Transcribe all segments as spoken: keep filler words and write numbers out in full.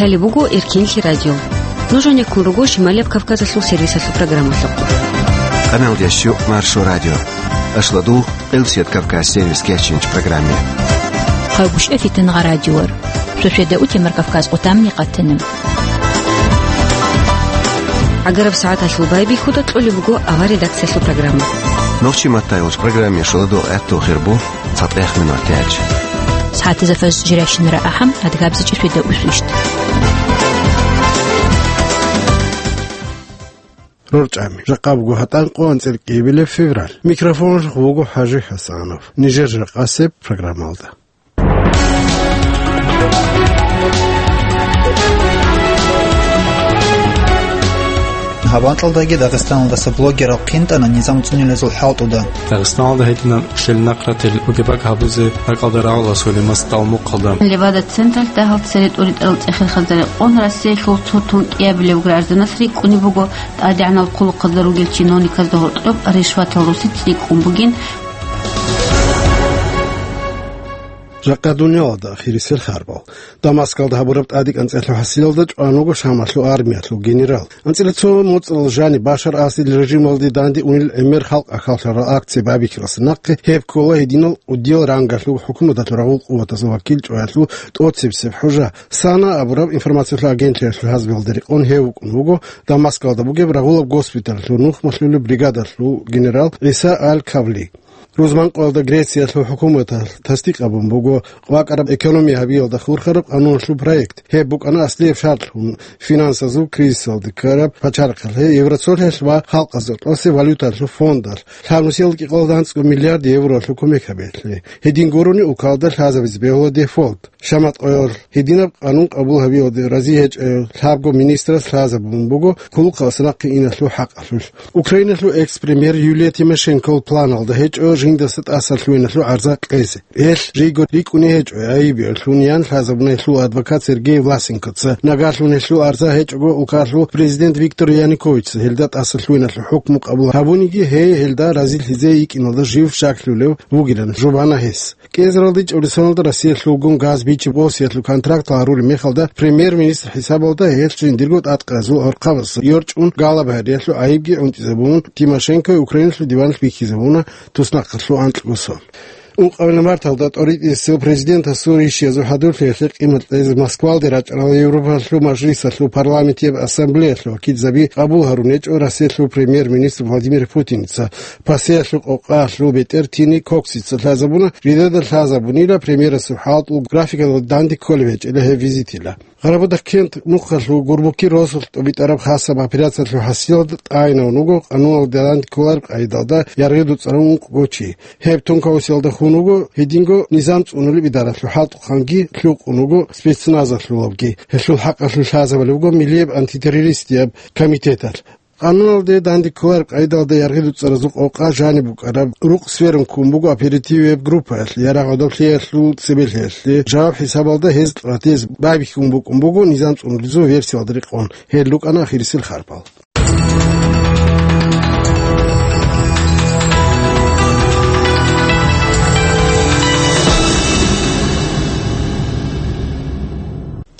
Лъалеб буго Эркинлъи радио. Нуж гьанеккун руго Шималияб Кавказалъул сервисалъул программалъухъ. Къаналдияс щук Маршо радио. Ашладул Элсият Кавказ сервис кечинч программе. Хъагушев Фитингъа радиор. Шошеда утемар Кавказ къутамни къатана. ГӀагараб сагӀаталъул байбихьуда кьолеб буго авар редакциялъул программа. Нохчи маттайулч программе шоладул гӀатту хирбу. ЦатӀехъ минут тяч. СагӀатизафас жиращинара ахӀам, адгабзичӀи шведа усвищт. РорчӀами. Жакъа буго гьатӀан къо анцӀил кӀиабилеб февраль. Микрофон вуго ХӀажи ХӀасанов. Нижер жакъасеб программалда. Гьаб анкьалдаги Дагъистаналдаса блогерал хъинтӀана низам цӀунилазул хӀалтӀуда. Дагъистаналда гьединан ущелинахъ ратил бугебаг гьабузе ракӀалда рагӀула Сулеймас Талмухъалда. Левада централъ дагьал цере тӀуритӀарал цӀехелхазда рекъон Россиялъул цо тун кӀиабилев гражданас рикӀкӀунеб буго, тӀадегӀанал хъулухъазда ругел чиновниказда гьоркьоб ришватал росиц рикӀкӀун бугин. Жакъа дуниялалда ахирисел харбал. Дамаскалда гьабураб тӀадекӀанцӀелъул хӀасилалда чӀван вуго Шамалъул армиялъул генерал. АнцӀила цо моцӀрал жаниб Башар Асадил режималде данде унел гӀемер халкъ ахаллъарал акция байбихьаралъа нахъе гьеб ккола гьединал кӀудиял рангалъул хӀукуматалъул рагъул къуватазул вакил чӀваялъул тӀоцебсеб хӀужа. САНА абураб информациялъул агентлъиялъул хӀасабалда рекъон гьев вукӀун вуго Дамаскалда бугеб рагъулаб госпиталалъул нухмалъулеб бригадалъул генерал ГӀиса Аль-Кавли. Рузманкъоялда Грециялъул хӀукуматалъ тасдикъ гьабун буго къвакӀараб экономия гьабиялда хурхараб къануналъул проект. Гьеб букӀана аслияб шартлъун финансазул кризисалде ккараб пачарахъалъе Евросоюзалъ ва халкъазда тӀосе валюталъул фондалъ, лъабнусиялда кӀикъоялда анцӀго миллиард евроялъул кумек гьабиялъе. Гьедин гурони улкалда лъазабизе бегьула дефолт. Шаматкъоялъ гьединаб къанун къабул гьабиялде рази гьечӀев лъабго министрас лъазабун буго кулухъалъа нахъе иналъул хӀакъалъулъ. Украиналъул экс-премьер Юлия Тимошенкол планалда гьечӀо жиндаса тӀасалъугьиналъул гӀарза кьезе. Гьелъ жийго рикӀкӀуней гьечӀо гӀайиб гьелъул ян лъазабуна гьелъул адвокат Сергей Власенкоца. Нагагьлъун гьелъул гӀарза гьечӀого улкалъул президент Виктор Януковичца гьелда тӀасалъугьиналъул хӀукму къабул гьабуниги, гьей гьелда разилъизе йикӀиналда жив щаклъулев вугилан жубана гьес. КӀиазаралде чӀорисаналда Россиялъулгун газ бичи-босиялъул контракт гьарулеб мехалда премьер-министр хӀисабалда гьелъ жиндирго тӀадкъазул гӀорхъабаз йорчӀун галабгьариялъул гӀайибги гӀунтӀизабун, Тимошенко Украиналъул диваналъ бихьизабуна туснахъалъул анкьго сон. Ункъабилеб марталда тӀоритӀисел президентасул ришиязул хӀадурлъиялъе къимат кьезе Москвалде рачӀарал Европалъул мажлисалъул парламентияб ассамблеялъул вакилзаби къабул гьарун гьечӀо Россиялъул премьер-министр Владимир Путинца. Пасеялъул къокъалъул бетӀер Тини Коксица лъазабуна, жидеда лъазабунила премьерасул хӀалтӀул графикалда данде кколеб гьечӀила гьеб визитила. Къарабудахъ кент нухалъул Гурбуки росулъ тӀубитӀараб хасаб операциялъул хӀасилалда тӀайинавун вуго къануналда данде кколареб къайдалда яргъи дуцӀарав ункъго чи. Гьеб тункаусиялда хун вуго гьединго низам цӀунулеб идаралъул хӀалтӀухъанги лъукъун вуго спецназалъулабги. Гьелъул хӀакъалъулъ лъазабулеб буго миллияб антитеррористияб комитеталъ. Къануналде данде кколареб къайдалда яргъи дуцӀаразул къокъа жаниб букӀараб рукъ сверун ккун буго оперативияб группаялъ, ярагъ гӀодоблъиялъул цебелъиялъе жаваб хӀисабалда гьез кьватез байбихьун букӀун буго низам цӀунулезул версиялда рекъон. Гьел рукӀана ахирисел харпал.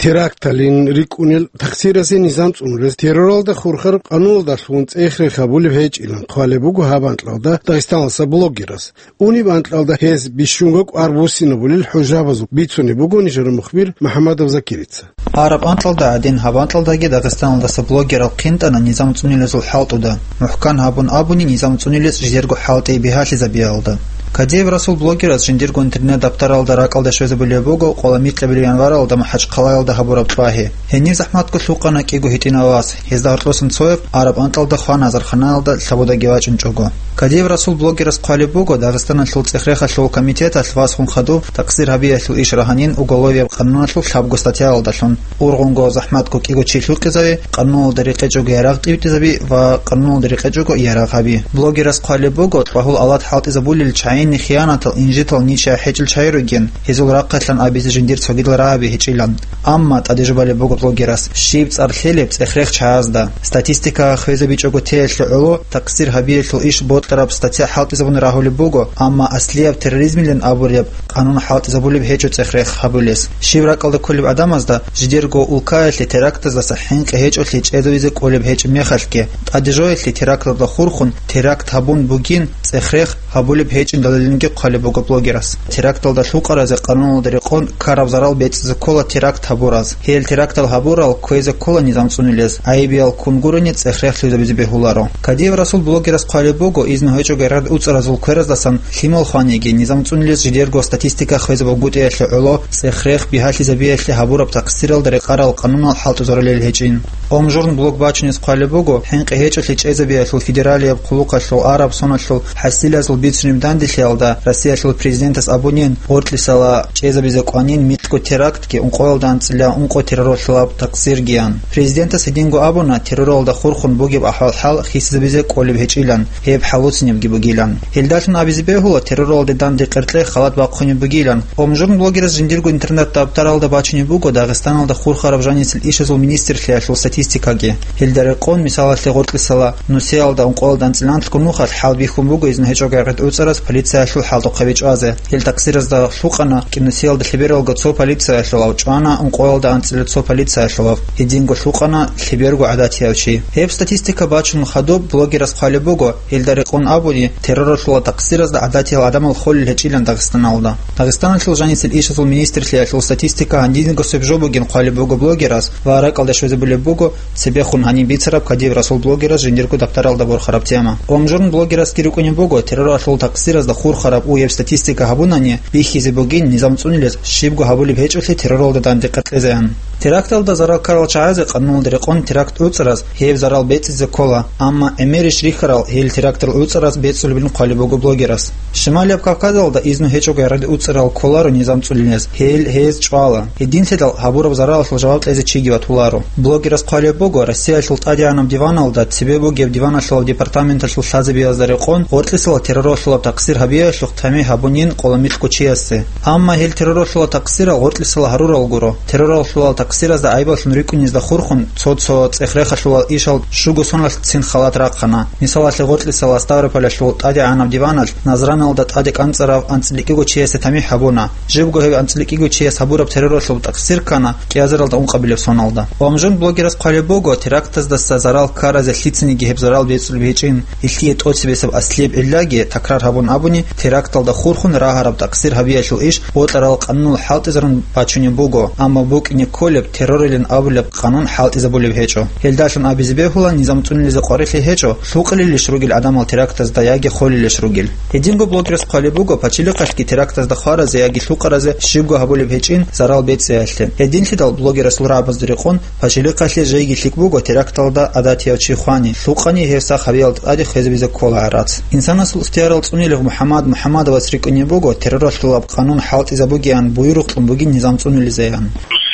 Теракталин рикӀкӀунел такъсирасе низам цӀунулез терроралда хурхараб къануналдалъун цӀех-рех гьабулеб гьечӀилан хъвалеб буго гьаб анкьалда Дагъистаналъа блогерас. Униб анкьалда гьез бищунго кӀвар буссинабулел хӀужабазул бицунеб буго нижер мухбир МухӀамадов Закирица. Араб анкьалда гӀадин, гьаб анкьалдаги Дагъистаналдаса блогерал хъинтӀана низам цӀунилезул хӀалтӀуда, мухӀкан гьабун абуни, низам цӀунилез жидерго хӀалтӀи бигьалъизабиялда. Кадиев Расул блогерас жиндирго интернет-даптаралда ракӀалде щвезабулеб буго къола микьабилеб январалда МахӀачхъалаялда гьабураб тӀагӀи. Гьенир захӀматго лъукъана кӀиго гьитӀинав вас, гьезда гьоркьосан цояб араб анкьалда хвана азарханалда лъабудаги вачӀунчӀого. Кадиев Расул блогерас хъвалеб буго, Дагъистаналъул цӀех-рехалъул комитеталъ васгун хадуб такъсир гьабиялъул иш рагьанин уголовияб къануналъул лъабго статьялалдалъун. Ургъунго, захӀматго кӀиго чи лъукъизави, къануналда рекъечӀого ярагъ тӀибитӀизаби ва къануналда рекъечӀого ярагъ гьаби. Блогерас хъвалеб буго, тӀагьул алат хӀалтӀизабулел чагӀини хиянатал, инжитал ничи ахӀечӀел чагӀи ругин, гьезул рахъалъан абизе жиндир цогидал рагӀаби гьечӀилан. Амма тӀаде жубалеб буго блогерас, щиб цӀар лъелеб цӀех-рех чагӀазда. Статистика хвезабичӀого теялъе гӀоло, такъсир гьабиялъул иш бот бокьараб статья хӀалтӀизабун рагьулеб буго, амма аслияб терроризмилан абулеб къанун хӀалтӀизабулеб гьечӀо цӀех-рех гьабулес. Щиб ракӀалда кколеб гӀадамазда жидерго улкаялъе терактаздаса хӀинкъи гьечӀолъи чӀезавизе кӀолеб гьечӀеб мехалъги, тӀадежоялъе теракталда хурхун теракт гьабун бугин цӀех-рех гьабулеб гьечӀин далилги хъвалеб буго блогерас. Теракталда лъукъаразе къануналда рекъон ккараб зарал бецӀизе ккола теракт гьабураз. Гьел терактал гьабурал кквезе ккола низам цӀунилез, гӀайибиял ккун гурони цӀех-рех лъугьизабизе бегьуларо. Кадиев Расул блогерас хъвалеб буго, изну гьечӀого гӀергъад уцӀаразул квераздасан лъимал хваниги, низам цӀунилез жидерго статистика хвезаб бугутӀиялъе гӀоло цӀех-рех бигьалъизабиялъе гьабураб такъсиралда рекъарал къанунал хӀалтӀизарулел гьечӀин. Омжурн блог бачунес хъвалеб буго, хӀинкъи гьечӀолъи чӀезабиялъул федералияб хъулухъалъул араб соналъул хӀасилазул бицунеб данделъиялда Россиялъул президентас абунин, гъоркьисала чӀезабизе кӀванин микьго терактги ункъоялда анцӀила ункъо терроралъулаб такъсиргиян. Президентас гьединго абуна, терроралда хурхун бугеб ахӀвал-хӀал хисизабизе кӀолеб гьечӀилан, гьеб хӀалуцинебги бугилан. Гьелдалъун абизе бегьула, терроралде данде къеркье халат бахъунеб бугилан. Омжурн блогерас жиндирго интернет-дабтаралда бачунеб буго Дагъистаналда хурхараб жанисел ишазул министрлъиялъул статистикаги. Гьелда рекъон, мисалалъе, гъоркьисала нусиялда ункъоялда анцӀила анлъго нухалъ хӀалбихьун буго изну гьечӀого гӀергъад уцӀараз полициялъул хӀалтӀухъе бичӀвазе. Гьел такъсиразда лъукъана кӀинусиялда лъебералго цо полициялъулав, чӀвана ункъоялда анцӀила цо полициялъулав, гьединго лъукъана лъеберго гӀадатияв чи. Гьеб статистика бачун хадуб блогерас хъвалеб буго, гьелда рекъон абуни, терроралъула такъсиразда гӀадатиял гӀадамал холел гьечӀилан Дагъистаналда. Дагъистаналъул жанисел ишазул министрлъиялъул статистика гьанжинго соб жо бугин хъвалеб буго блогерас ва ракӀалде щвезабулеб буго цебехун гьаниб бицараб Кадиев Расул блогерас жиндирго дабтаралда борхараб тема. Омжурн блогерасги рукӀунеб буго, терроралъул такъсиразда хурхараб уеб статистика гьабунани бихьизе бугин низам цӀунилез щибго гьабулеб гьечӀолъи терроралда данде къеркьезеян. Теракталда зарал ккарал чагӀазе къануналда рекъон теракт уцӀараз гьеб зарал бецӀизе ккола, амма гӀемерищ рихьарал гьел терактал уцӀараз бецӀулебин хъвалеб буго блогерас. Шималияб Кавказалда изну гьечӀого гӀергъад уцӀарал кколаро низам цӀунилез, гьел гьез чӀвала. Гьединлъидал гьабураб заралалъул жаваб кьезе чиги ватуларо. Блогерас хъвалеб буго, Россиялъул тӀадегӀанаб диваналда цебе бугеб диваналъулаб департаменталъул лъазабиязда рекъон гъоркьисала терроралъулаб такъсир гьабиялъухъ тами гьабунин къоло микьго чиясе. Амма гьел терроралъула такъсирал гъоркьисала гьарурал гуро. Терроралъула такъсиразда гӀайбаллъун рикӀкӀунезда хурхун цо-цо цӀех-рехалъула ишал щуго соналъцин халат рахъана. Мисалалъе, гъоркьисала Ставрополалъул тӀадегӀанаб диваналъ Назраналда тӀаде кӀанцӀарав анцӀила кӀиго чиясе тамихӀ гьабуна. Жибго гьев анцӀила кӀиго чияс гьабураб терроралъул такъсир ккана кӀиазаралда ункъабилеб соналда. Ва Омжурн блогерас хъвалеб буго, терактаздаса зарал ккаразе лъицаниги гьеб зарал бецӀулеб гьечӀин. Гьелъие тӀоцебесеб аслияб гӀиллаги, такрар гьабун абуни, теракталда хурхун рагьараб такъсир гьабиялъул иш бокьарал къанунал хӀалтӀизарун бачунеб буго, амма букӀине кколеб террорилан абулеб къанун хӀалтӀизабулеб гьечӀо. Гьелдалъун абизе бегьула, низам цӀунилизе къварилъи гьечӀо, лъукъалилищ ругел гӀадамал терактазда яги холелищ ругел. Гьединго блогерас хъвалеб буго, пачалихъалъги терактазда хваразе яги лъукъаразе щибго гьабулеб гьечӀин зарал бецӀиялъе. Гьединлъидал блогерасул рагӀабазда рекъон пачалихъалъе жеги лъикӀ буго теракталда гӀадатияв чи хвани, лъукъани гьев сах гьабиялда тӀаде хвезабизе ккола гӀарац. Инсанасул ихтиярал цӀунилев МухӀаммад МухӀаммадовас рикӀкӀунеб буго, терроралъулаб къанун хӀалтӀизабугеян буюрухълъун бугин низам цӀунилизеян.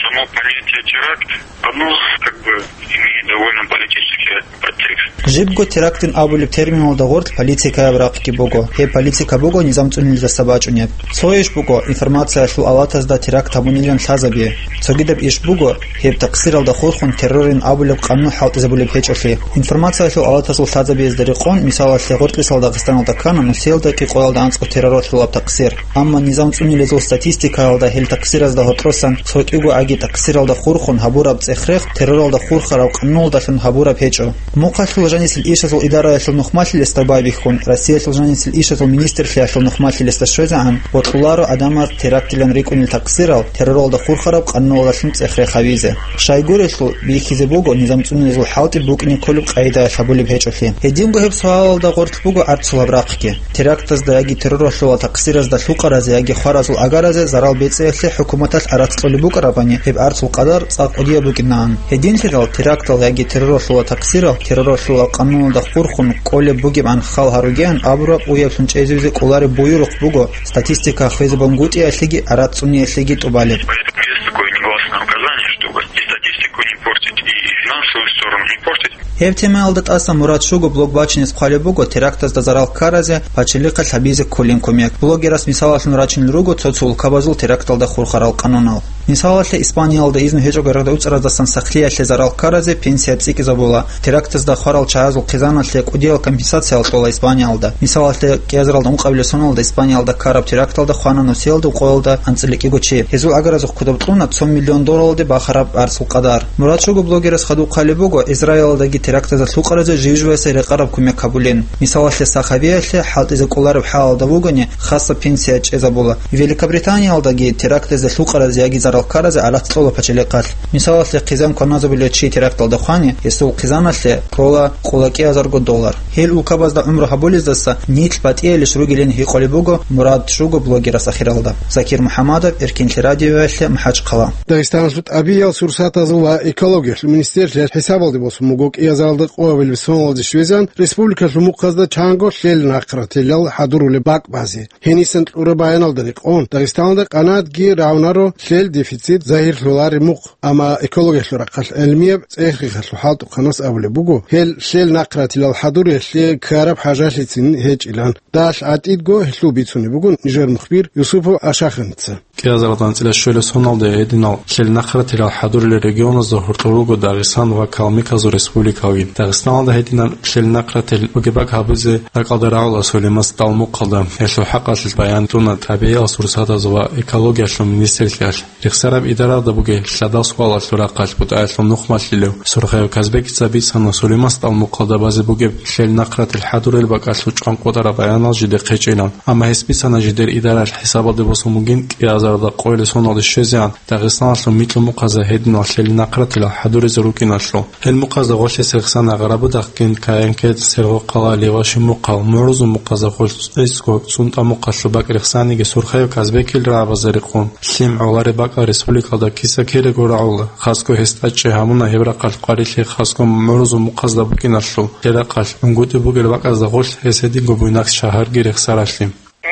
Само понятие теракт, оно как бы имеет довольно политический подтекст. Жибго терактин абулеб терминалда гъорлъ политикаяб рахъги буго. Гьеб политика буго низам цӀунилиздаса бачӀунеб. Цо иш буго информациялъул авлатазда теракт гьабунилан лъазаби. Цогидаб иш буго гьеб такъсиралда хурхун террорин абулеб къанун хӀалтӀизабулеб гьечӀолъи. Информациялъул авлатазул лъазабиязда рекъон, мисалалъе, гъоркьисал Дагъистаналда ккана нусиялда кӀикъоялда анцӀго терроралъулаб такъсир. Амма низам цӀунилезул статистикаялда гьел такъсиразда гьоркьосан цо кӀиго аги такъсиралда хурхун гьабураб цӀех-рех терроралда хурхараб къануналдалъун гьабураб гьечӀо. Мухъалъул жанисел ишазул идараялъул нухмалъилесда байбихьун, Россиялъул жанисел ишазул министрлъиялъул нухмалъилесда щвезегӀан бокьуларо гӀадамаз терактилан рикӀкӀунел такъсирал терроралда хурхараб къануналдалъун цӀех-рех гьавизе. Щайгурелъул бихьизе буго низам цӀунилезул хӀалтӀи букӀине кколеб къагӀидаялъ гьабулеб гьечӀолъи. Гьединго гьеб суалалда гъорлъ буго гӀарцулаб рахъги. Терактазда яги терроралъула такъсиразда лъукъаразе яги хваразул агаразе зарал бецӀиялъе хӀукуматалъ гӀарац кьолеб букӀарабани, гьеб гӀарцул къадар цӀакъ кӀудияб букӀинаан. Гьединлъидал терактал яги терроралъула такъсирал терроралъула къануналда хурхун кколеб бугебгӀан хал гьаругеян абураб уяблъун чӀезавизе кӀолареб буюрухъ буго статистика хвезабунгутӀиялъеги гӀарац цӀуниялъеги тӀубалеб. Поэтому есть такое негласное указание, чтобы и статистику не портить, и финансовую сторону не портить. Гьеб темаялда тӀаса Мурад Шуго блог бачинес хъвалеб буго терактазда зарал ккаразе пачалихъалъ гьабизе кколин кумек. Блогерас мисалалъун рачунел руго цо-цо улкабазул теракталда хурхарал къанунал. Мисалалъе, Испаниялда изну гьечӀого рагъда уцӀараздасан сахлъиялъе зарал ккаразе пенсия цӀикӀкӀизабула. Терактазда хварал чагӀазул хъизаналъе кӀудиял компенсациялъ кьола Испаниялда. Мисалалъе, кӀиазаралда ункъабилеб соналда Испаниялда ккараб теракталда хвана нусиялда къоялда анцӀила кӀиго чи. Гьезул гӀагаразухъ кодоб кьуна цо миллион долларалде бахараб арцул къадар. Мурад Шуго блогерас хадуб хъвалеб буго, Израилалдаги терактазда лъукъаразе жив-живасе рекъараб кумек гьабулин. Мисалалъе, сахабиялъе хӀалтӀизе кӀолареб хӀалалда вугони, хасаб пенсия чӀезабула. Великобританиялдаги терактазда лъукъаразе яги зарал ккаразе гӀарац кьола пачалихъалъ. Мисалалъе, хъизан кваназабулев чи теракталда хвани, гьесул хъизаналъе кьола къоло кӀиазарго доллар. Гьел улкабазда гӀумру гьабулездаса нилъ батӀиялищ ругилин гьикъулеб буго Мурад Шуго блогерас ахиралда. Закир МухӀаммадов, Эркинлъи радиоялъе, МахӀачхъала. Дагъистаналъул тӀабигӀиял сурсатазул ва экологиялъул министрлъиялъ хӀисабалде босун буго кӀиазаралда къоабилеб соналде щвезегӀан республикалъул мухъазда чанго лъел нахъратилал хӀадурулеб бакӀ базе. Гьенисан кьураб баяналда рекъон, Дагъистаналда къанагӀатги равнаро лъел дефицит загьирлъулареб мухъ, амма экологиялъул рахъалъ гӀелмияб цӀех-рехалъул хӀалтӀухъанас абулеб буго, гьел лъел нахъратилал хӀадуриялъе ккараб хӀажалъицин гьечӀилан. Далъ гӀатӀидго гьелъул бицунеб буго нижер мухбир Юсупов Ашаханица. КӀиазаралда анцӀила щуялъе соналде гьединал лъел нахъратилал хӀадурулел регионазда гьоркьор руго Дагъистан ва Калмыказул республикалги. Дагъистаналда гьединал лъел нахъратил бугеб бакӀ гьабизе ракӀалда рагӀула Сулейман СтӀал мухъалда. Гьелъул хӀакъалъулъ баян кьуна тӀабигӀиял сурсатазул ва экологиялъул министрлъиялъ. Рехсараб идарада бугеб лъадал суалалъул рахъалъ бутӀаялъул нухмалъилев Сурхаев Казбекица бицана, Сулейман СтӀал мухъалда базе бугеб лъел нахъратил хӀадурел бакӀалъул чӀван къотӀараб баянал жидехъ гьечӀилан. Амма гьес бицана жидер идаралъ хӀисабалде босун бугин кӀиазаралда къоялъе соналде щвезегӀан Дагъистаналъул микьумухъазда гьединал лъел нахъратилал хӀадуризе рукӀиналъул. Гьел мухъазда гъолъ гьес рехсана Гъарабудахъгин, Каянкет, Сергъохъала, Леваши мухъал, мугӀрузул мухъазда гъолъ цӀисго, СунтӀа мухъалъул бакӀ рехсаниги Сурхаев Казбекил рагӀабазда рекъон, лъим гӀолареб бакӀал республикалда киса-кирего рагӀула, хасго гьес тӀадчӀи гьабуна гьеб рахъалъ къварилъи хасго мугӀрузул мухъазда букӀиналъул, гьеб рахъалъ гӀунгутӀи бугел бакӀазда гъолъ гьес гьединго Буйнакск шагьарги рехсаралъи.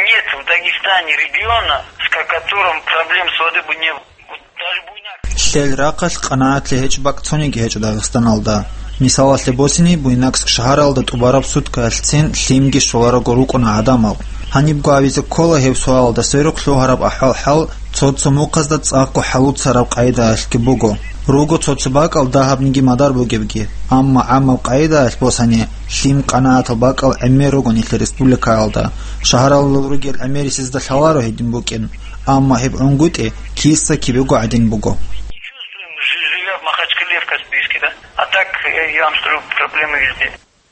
Нет в Дагестане региона, с которым проблем с водой бы не было. Вот даже Буйнакск. Лъел рахъалъ къанагӀатлъи гьечӀеб бакӀ цониги гьечӀо Дагъистаналда. Мисалалъе босине, Буйнакск шагьаралда тӀубараб суткаялъцин лъимги щоларого рукӀуна гӀадамал. Гьанибго абизе ккола гьеб суалалда сверухъ лъугьараб ахӀвал-хӀал цо-цо мухъазда цӀакъго хӀалуцараб къайдаялъги буго. Руго цо-цо бакӀал дагьабниги мадар бугебги, амма гӀаммаб къайдаялъ босани, лъим къанагӀатал бакӀал гӀемер руго нилъер республикаялда. Шагьаралда ругел гӀемерисезда лъаларо гьедин букӀин, амма гьеб гӀунгутӀи киса-кибего гӀадин буго. Живя в Махачкале, в Каспийске, да? А так, э, я вам скажу, проблемы везде.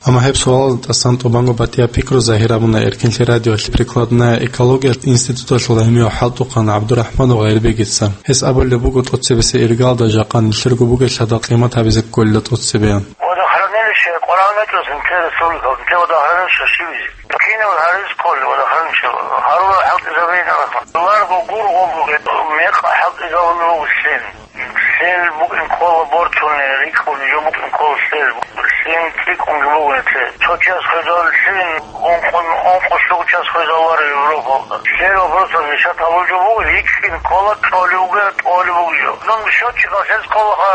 Амма гьеб суалалда тӀасан тӀубанго батӀияб пикру загьир гьабуна Эркинлъи радиоялъ прикладная экология институталъул гӀемияв хӀалтӀухъан ГӀабдурахӀманов Гъайрбегица. Гьес абулеб буго, тӀоцебесеб иргалда жакъа нилъерго бугел лъадал къимат гьабизе кколила тӀоцебе. Водохранилище къваригӀун гьечӀо нилъер республикалда, нилъер водохранилище щибизе. Кинаб гьарис кколел водохранилище? Гьарурал хӀалтӀизабейин абун. Ларго гургъун бугеб, мекъ хӀалтӀизабун буго лъим. Лъел букӀин ккола бортуни, рикӀкӀун жо букӀин ккола лъел. Лъим цӀикӀкӀун жо буго лъел. Цо час хвезал лъим, ункъо, ункъо щуго час хвезаларо Европалда. Лъел вопросалъ решать гьабул жо буго, рикӀкӀин ккола, кьолев вугев, кьолев вугев. Нун счётчикалъ гьез кколаха,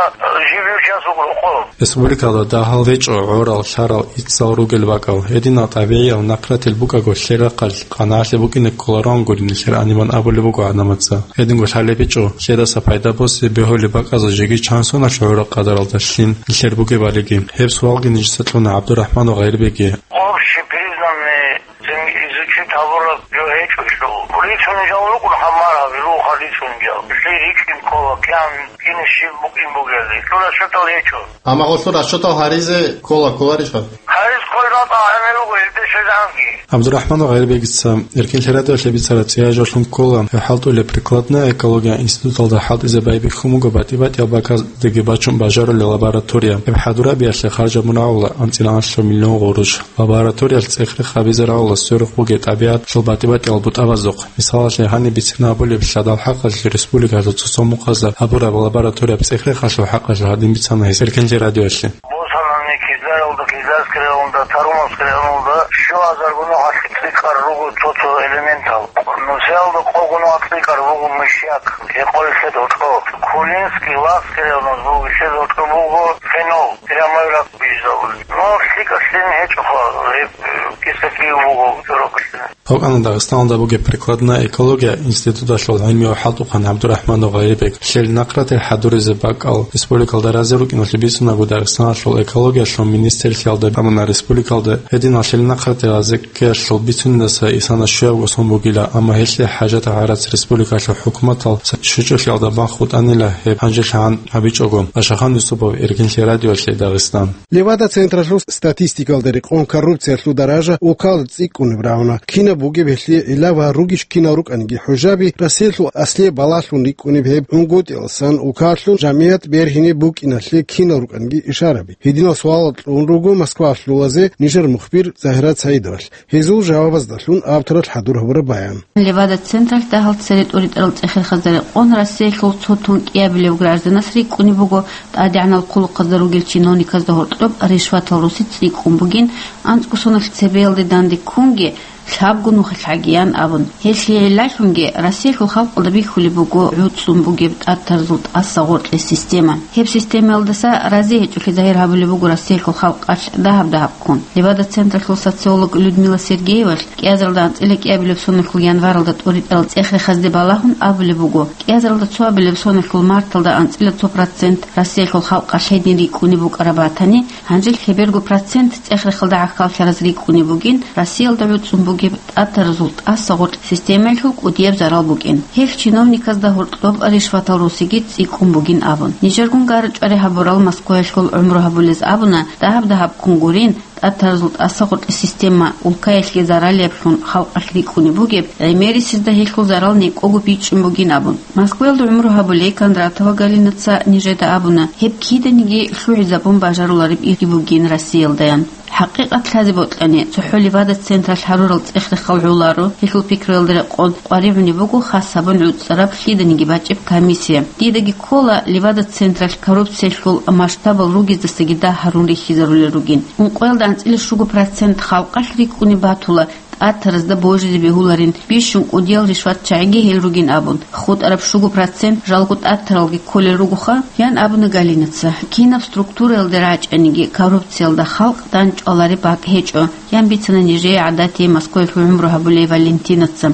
жибив час вугрухъо. Республикалда дагьал гьечӀо гӀорал, лъарал, иццал ругел бакӀал. Гьединал тӀабигӀиял нахъратил букӀаго, лъел рахъалъ къанагӀалъи букӀине кколароан гури нилъер гьанибан абулеб буго гӀадамаца. Гьединго лъалеб гьечӀо, лъедаса пайда босе бегьулеб бакӀазда жеги чан соналъ гӀораб къадаралда лъим нилъер бугебалиги. Гьеб суалги нижеца кьуна ГӀабдурахӀманов Гъайрбеги. Общепризнанный Цин изучить гьабураб жо гьечӀо жо. Рицунел жал рукӀун гьамар гьабируха рицунел жал. Лъи рикӀкӀин ккола, кьан кин щиб букӀин бугелги. Лъура щутал гьечӀо. Амма гъолъул расчетал гьаризе ккола, кколарищха? Гьариз кколеб батӀа гӀемер руго, гьелде щвезанги. ГӀабдурахӀманов Гъайрбегица Эркинлъи радиоялъе бицараб цӀияй жолъун ккола, гьев хӀалтӀулеб прикладная экология институталда хӀалтӀизе байбихьун буго батӀи-батӀиял бакӀаздаги бачун бажарулел лаборатория. Гьеб хӀадурабиялъе харжабун рагӀула анцӀила анлъго миллион гъурущ. Лабораториялъ цӀех-рех гьабизе рагӀула сверухъ бугеб тӀабигӀаталъул батӀи-батӀиял бутӀабаздухъ. Мисалалъе, гьаниб бицина абулеб лъадал хӀакъалъулъ республикалъул цо-цо мухъазда гьабураб лабораторияб цӀех-рехалъул хӀакъалъулъ гьадин бицана гьес Эркинлъи радиоялъе. Босанани Кизляралда, Кизлярский районда Тарумовский районалда щуазарго нугӀалъ цӀикӀкӀар руго цо-цо элементал. Нусиялда къого нугӀалъ цӀикӀкӀар руго мышьяк, гьекъолелъе доркьо. Кулинский, Лахский районалда буго, лъе доркьо буго фенол, прямой рак бижизабулеб. Ну, лъикӀалъин гьечӀоха, гьеб, э, кисакив буго чорокалъе. ГьукӀана Дагъистаналда бугеб прикладная экология институталъул гӀилмияв хӀалтӀухъан ГӀабдурахӀманов Гъайрибек. Лъел нахърател хӀадуризе бакӀал республикалда разе рукӀиналъе бицунаго, Дагъистаналъул экологиялъул министрлъиялда амуна республикалда гьединал лъел нахърател разе ккеялъул бицунидаса исана щуябго сон бугила, амма гьелъие хӀажатаб гӀарац республикалъул хӀукуматал щвечӀолъиялда бахъ бутӀанила гьеб гьанжелъагӀан гьабичӀого. Ашахан Юсупов, Эркинлъи радиолъе, Дагъистан. Левада-централъул статистикалда рекъон коррупциялъул даража улкалда цӀикӀкӀунеб рагӀуна. Кинаб бугеб гьелъие гӀилла ва ругищ кинал рукӀаниги хӀужаби, Россиялъул аслияб балагьлъун рикӀкӀунеб гьеб гӀунгутӀиялдасан улкалъул жамигӀат бергьине букӀиналъе кинал рукӀаниги ишараби. Гьединал суалал кьун руго москвалъулазе нижер мухбир Загьират Саидовалъ. Гьезул жавабаздалъун авторалъ хӀадур гьабураб баян. Левада-централъ дагьал цере тӀуритӀарал цӀех-рехазда рекъон Россиялъул цо тун кӀиабилев гражданас рикӀкӀунеб буго тӀадегӀанал хъулухъазда ругел чиновниказда гьоркьоб ришватал руси цӀикӀкӀун бугин, анцӀго соналъ цебеялде данде ккунги, лъабго нухалъ гӀагиян абун. Гьелъие гӀиллалъунги Россиялъул халкъалда бихьулеб буго гӀуцӀцӀун бугеб тӀатаразул тӀаса гъоркье система. Гьеб системаялдаса рази гьечӀолъи загьир гьабулеб буго Россиялъул халкъалъ дагьаб-дагьаб ккун. Левада-централъул социолог Людмила Сергеевалъ кӀиазаралда анцӀила кӀиабилеб соналъул январалда тӀуритӀарал цӀех-рехазде балагьун абулеб буго, кӀиазаралда цоабилеб соналъул марталда анцӀила цо процент Россиялъул халкъалъ гьедин рикӀкӀунеб букӀараб батани, гьанже лъеберго процент цӀех-рехалда гӀахьаллъараз рикӀкӀунеб бугин Россиялда гӀуцӀцӀун бугеб тӀатаразул тӀаса гъоркь системаялъул кӀудияб зарал букӀин. Гьелъ чиновниказда гьоркьоб ришватал русиги цӀикӀкӀун бугин абун. Нижергун гара-чӀвари гьабурал Москваялъул гӀумру гьабулез абуна, дагьаб-дагьаб ккун гурин, тӀатаразул тӀаса гъоркь система улкаялъе заралиблъун халкъалъ рикӀкӀунеб бугеб, гӀемерисезда гьелъул зарал некӀого бичӀчӀун бугин абун. Москваялда гӀумру гьабулей Кондратова Галинаца нижеда абуна, гьеб киданиги лъугӀизабун бажарулареб ирги бугин Россиялдаян. ХӀакъикъат лъазе бокьани, цохӀо Левада-централъ гьарурал цӀех-рехал гӀоларо, гьелъул пикруялда рекъон къваригӀунеб буго хас гьабун гӀуцӀцӀараб лъиданиги бачӀеб комиссия. Дидаги ккола Левада-централъ коррупциялъул масштабал ругездасаги дагь гьарун рихьизарулел ругин. Ункъоялда анцӀила щуго процент халкъалъ рикӀкӀунеб батула тӀатаразда божизе бегьуларин, бищун кӀудиял ришватчагӀиги гьел ругин абун, хутӀараб щуго процент жалго тӀатаралги кколел ругоха, ян абуна Галинаца. Кинаб структураялде рачӀаниги, коррупциялда халкъ дандчӀвалареб бакӀ гьечӀо, ян бицана нижее гӀадатие Москваялъул гӀумру гьабулей Валентинаца.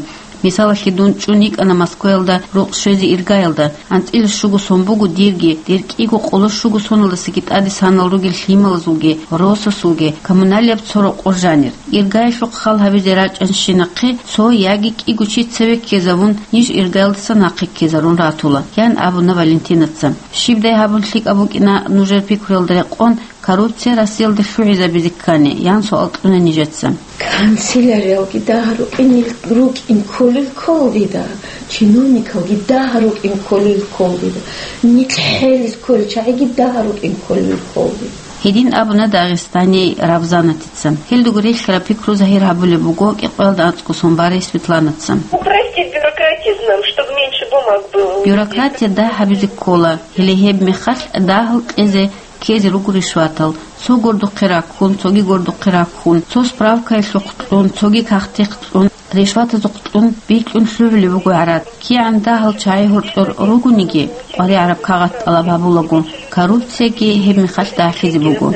Мисалалъе, дун чӀун йикӀана Москваялда рукъ щвезе иргаялда. АнцӀила щуго сон буго дирги, дир кӀиго къоло щуго соналдасаги тӀаде санал ругел лъималазулги, росасулги, коммуналияб цо рокъор жанир. Иргаялъухъ хал гьабизе рачӀанщинахъе цо яги кӀиго чи цеве ккезавун, ниж иргаялдаса нахъе ккезарун ратула, ян абуна Валентинаца. Щибдай гьабун лъикӀаб букӀина нужер пикруялда рекъон, коррупция Россиялда лъугӀизабизе ккани, ян суал кьуна нижеца. Канцеляриялги дагь рукӀин, рукӀин кколел кколдида, чиновникалги дагь рукӀин кколел кколдида, нилъ хӀел кколел чагӀиги дагь рукӀин кколел кколдида. Гьедин абуна Дагъистаней Рабзанатица. Гьелдуг релълъараб пикру загьир гьабулеб буго кӀикъоялда анцӀго сон барей Светланаца. Упростить бюрократизм нам, чтобы меньше бумаг было. Бюрократия дагь гьабизе ккола, гьеле гьеб мехалъ дагьал кьезе ккезе руго ришватал, цо гордухъе раккун, цоги гордухъе раккун, цо справкаялъухъ кьун, цоги кагътихъ кьун, ришватазухъ кьун, бикьун лъугӀулеб буго гӀарад. КигӀан дагьал чагӀи гьоркьор ругониги, къваригӀараб кагъат тӀалаб гьабулаго, коррупцияги гьеб мехалъ дагьлъизе буго,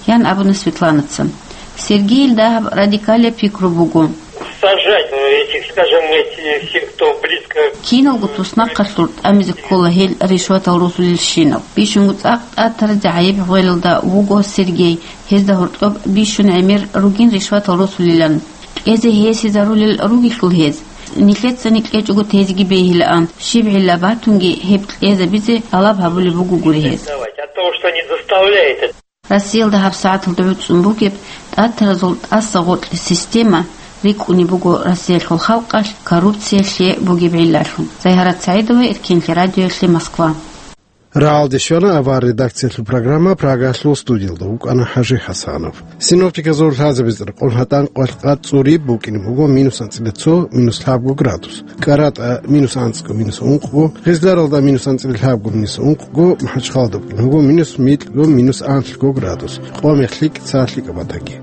ян абуна Светланаца. Сергейил дагьаб радикалияб пикру буго. Сажать, э, этих, скажем, этих всех, кто близко. Киналго туснахъалъур тӀамизе ккола гьел ришватал росулелщинал. Бищунго цӀакъ тӀатаразе гӀайиб гъвелалда вуго Сергей, гьезда гьоркьоб бищун гӀемер ругин ришватал росулилан. Кьезе гьесизарулел ругелъул гьез. Нилъецани кьечӀого тезеги бегьилаан, щиб гӀилла батунги гьеб кьезабизе тӀалаб гьабулеб бугогури гьез. От того, что они заставляют это. Россиялда гьабсагӀаталда гӀуцӀун бугеб тӀатаразул тӀаса гъоркье система рикӀкӀунеб буго Россиялъул халкъалъ коррупциялъе бугеб гӀиллалъун. Загьарат СагӀидова, Эркинлъи радиоялъе, Москва. Рагьалде щвана авар редакциялъул программа, Прагалъул студиялда вукӀана ХӀажи ХӀасанов. Синоптиказул лъазабиз рекъон гьатӀан къвалъ къад цӀуриб букӀине буго минус анцӀила цо, минус лъабго градус, КӀаратӀа минус анцӀго, минус ункъго, Гъизларалда минус анцӀила лъабго, минус ункъго, МахӀачхъалада букӀине буго минус микьго, минус анлъго градус, къо-мех лъикӀ, цо лъикӀаб батаги.